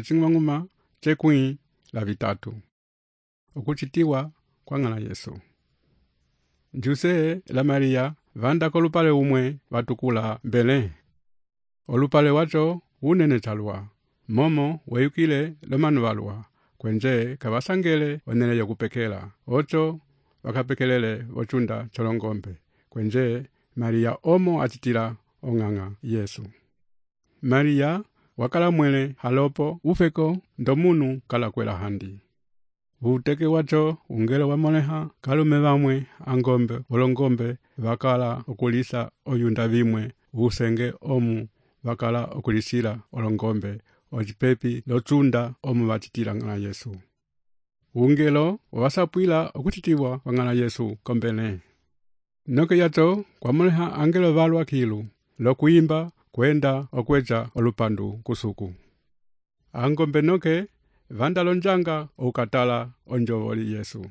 ecing'uma cekwĩ la vitatu. Okucitiwa kwa ng'ala Yesu. Juse la Maria vanda kolupale umwe vatukula Belé. Olupale wacho unene chalwa. Momo weyukile lomanu walwa. Kwenje kavasangele onele yokupekela. Ocho wakapekelele vochunda cholongombe. Kwenje Maria omo achitila ong'ang'a Yesu. Maria wakala mwele halopo ufeko ndomunu kala kwela handi. Uteke wacho ungelo wamoleha kalume vamwe angombe olongombe wakala okulisa oyunda vimwe usenge omu wakala okulisila olongombe ojipepi lochunda omu wachitila ng'ala Yesu. Ungelo wasapwila okuchitiwa kwa ng'ala Yesu kombele. Noke yacho kwa moleha angelo valwa kilu lokuimba kwenda okwecha olupandu kusuku. Angombe noke vanda lonjanga ukatala onjovoli Yesu.